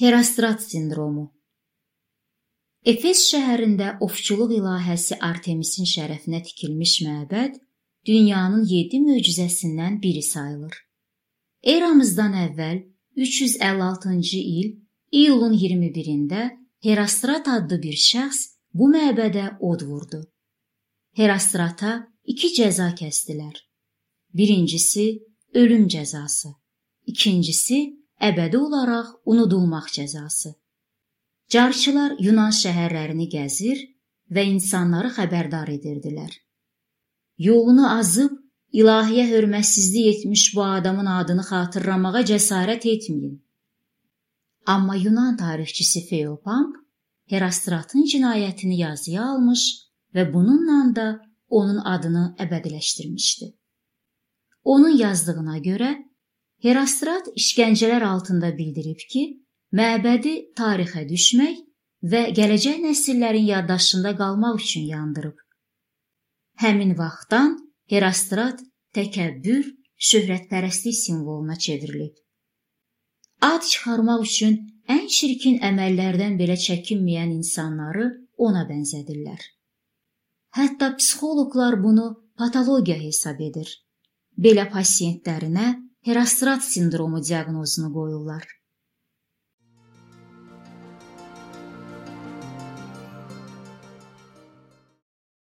Herostrat sindromu. Efes şəhərində ovçuluq ilahəsi Artemisin şərəfinə tikilmiş məbəd dünyanın 7 möcüzəsindən biri sayılır. Eramızdan əvvəl 356-cı il iyulun 21-də Herostrat adlı bir şəxs bu məbədə od vurdu. Herostrata 2 cəza kəsdilər. Birincisi ölüm cəzası, ikincisi əbədi olaraq unudulmaq cəzası. Carçılar Yunan şəhərlərini gəzir və insanları xəbərdar edirdilər. Yolunu azıb, ilahiyə hörmətsizlik etmiş bu adamın adını xatırlamağa cəsarət etməyin. Amma Yunan tarixçisi Feopamp Herostratın cinayətini yazıya almış və bununla da onun adını əbədiləşdirmişdi. Onun yazdığına görə Herostrat işgəncələr altında bildirib ki, məbədi tarixə düşmək və gələcək nəsillərin yaddaşında qalmaq üçün yandırıb. Həmin vaxtdan Herostrat təkəbbür, şöhrətpərəstlik simvoluna çevrilib. Ad çıxarmaq üçün ən çirkin əməllərdən belə çəkinməyən insanları ona bənzədirlər. Hətta psixoloqlar bunu patologiya hesab edir. Belə pasiyentlərinə Herostrat sindromu diaqnozunu qoyurlar.